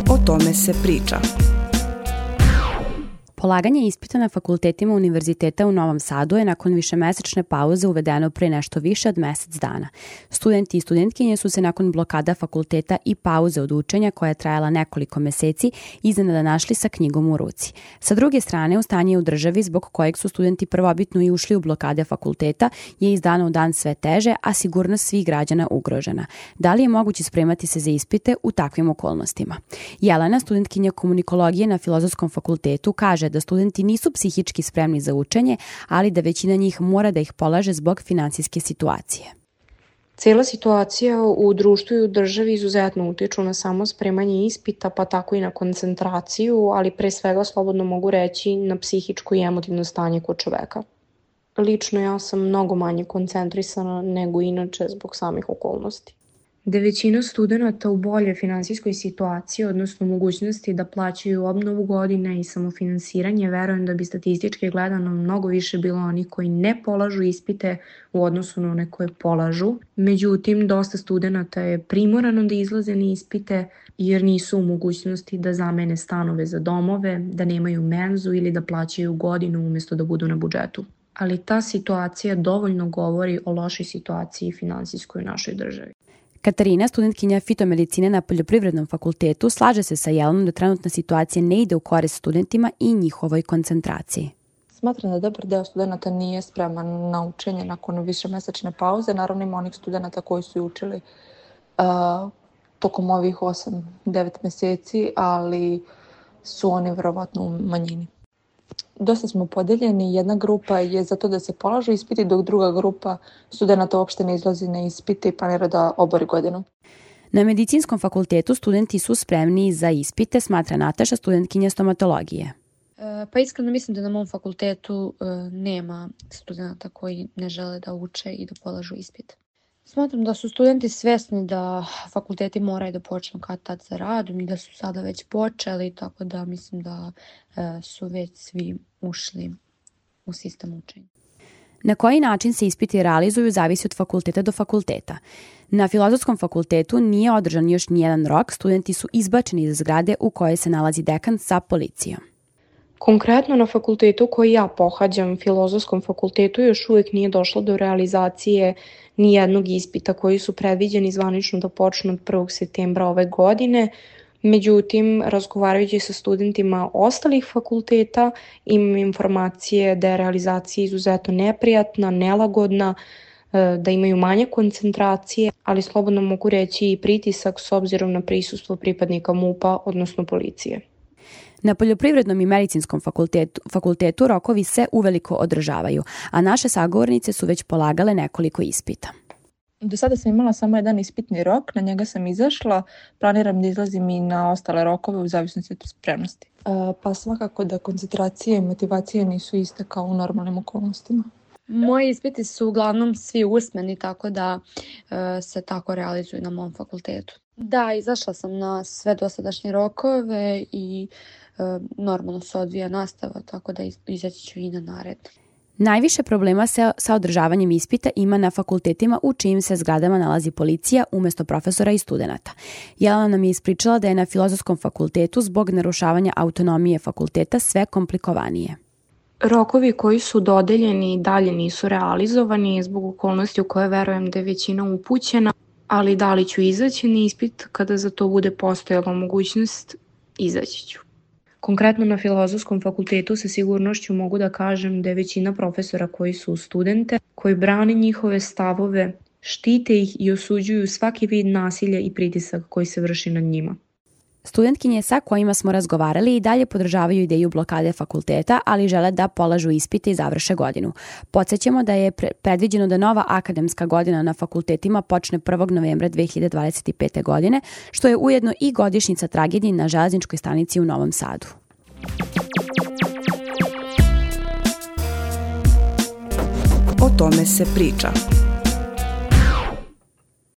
O tome se priča. Polaganje ispita na fakultetima Univerziteta u Novom Sadu je nakon višemesečne pauze uvedeno pre nešto više od mesec dana. Studenti i studentkinje su se nakon blokada fakulteta i pauze od učenja koja je trajala nekoliko meseci iznenada našli sa knjigom u ruci. Sa druge strane, stanje u državi zbog kojeg su studenti prvobitno i ušli u blokade fakulteta je iz dana u dan sve teže, a sigurnost svih građana ugrožena. Da li je moguće spremati se za ispite u takvim okolnostima? Jelena, studentkinja komunikologije na Filozofskom fakultetu, kaže da studenti nisu psihički spremni za učenje, ali da većina njih mora da ih polaže zbog finansijske situacije. Cijela situacija u društvu i u državi izuzetno utiču na samo spremanje ispita, pa tako i na koncentraciju, ali pre svega slobodno mogu reći na psihičko i emotivno stanje kod čoveka. Lično ja sam mnogo manje koncentrisana nego inače zbog samih okolnosti. Da je većina studenta u boljoj finansijskoj situaciji, odnosno mogućnosti da plaćaju obnovu godine i samofinansiranje, verujem da bi statistički gledano mnogo više bilo onih koji ne polažu ispite u odnosu na one koje polažu. Međutim, dosta studenta je primorano da izlaze na ispite jer nisu u mogućnosti da zamene stanove za domove, da nemaju menzu ili da plaćaju godinu umjesto da budu na budžetu. Ali ta situacija dovoljno govori o lošoj situaciji finansijskoj u našoj državi. Katarina, studentkinja fitomedicine na Poljoprivrednom fakultetu, slaže se sa Jelenom da trenutna situacija ne ide u korist studentima i njihovoj koncentraciji. Smatram da dobar deo studenta nije spreman na učenje nakon višemesečne pauze. Naravno ima onih studenta koji su učili tokom ovih 8-9 meseci, ali su oni verovatno u manjini. Dosta smo podeljeni, jedna grupa je za to da se polažu ispiti, dok druga grupa studenta uopšte ne izlazi na ispite i planira da obori godinu. Na Medicinskom fakultetu studenti su spremni za ispite, smatra Nataša, studentkinja stomatologije. Pa iskreno mislim da na mom fakultetu nema studenta koji ne žele da uče i da polažu ispit. Smatram da su studenti svesni da fakulteti moraju da počnu kad tad sa radom i da su sada već počeli, tako da mislim da su već svi ušli u sistem učenja. Na koji način se ispiti realizuju zavisi od fakulteta do fakulteta. Na Filozofskom fakultetu nije održan još nijedan rok, studenti su izbačeni iz zgrade u kojoj se nalazi dekan sa policijom. Konkretno na fakultetu koji ja pohađam, Filozofskom fakultetu, još uvijek nije došlo do realizacije nijednog ispita koji su predviđeni zvanično da počnu od 1. septembra ove godine. Međutim, razgovarajući sa studentima ostalih fakulteta, imam informacije da je realizacija izuzetno neprijatna, nelagodna, da imaju manje koncentracije, ali slobodno mogu reći i pritisak s obzirom na prisustvo pripadnika MUP-a, odnosno policije. Na Poljoprivrednom i Medicinskom fakultetu rokovi se uveliko održavaju, a naše sagovornice su već polagale nekoliko ispita. Do sada sam imala samo jedan ispitni rok, na njega sam izašla, planiram da izlazim i na ostale rokove u zavisnosti od spremnosti. Pa svakako da koncentracije i motivacije nisu iste kao u normalnim okolnostima. Moji ispiti su uglavnom svi usmeni, tako da se tako realizuju na mom fakultetu. Da, izašla sam na sve dosadašnje rokove i normalno se odvija nastava, tako da izaći ću i na naredni. Najviše problema sa održavanjem ispita ima na fakultetima u čijim se zgradama nalazi policija umjesto profesora i studenata. Jelena nam je ispričala da je na Filozofskom fakultetu zbog narušavanja autonomije fakulteta sve komplikovanije. Rokovi koji su dodeljeni dalje nisu realizovani zbog okolnosti u koje verujem da je većina upućena, ali da li ću izaći na ispit kada za to bude postojala mogućnost, izaći ću. Konkretno na Filozofskom fakultetu sa sigurnošću mogu da kažem da je većina profesora koji su studente, koji brane njihove stavove, štite ih i osuđuju svaki vid nasilja i pritisak koji se vrši nad njima. Studentkinje sa kojima smo razgovarali i dalje podržavaju ideju blokade fakulteta, ali žele da polažu ispite i završe godinu. Podsjećamo da je predviđeno da nova akademska godina na fakultetima počne 1. novembra 2025. godine, što je ujedno i godišnjica tragedije na železničkoj stanici u Novom Sadu. O tome se priča.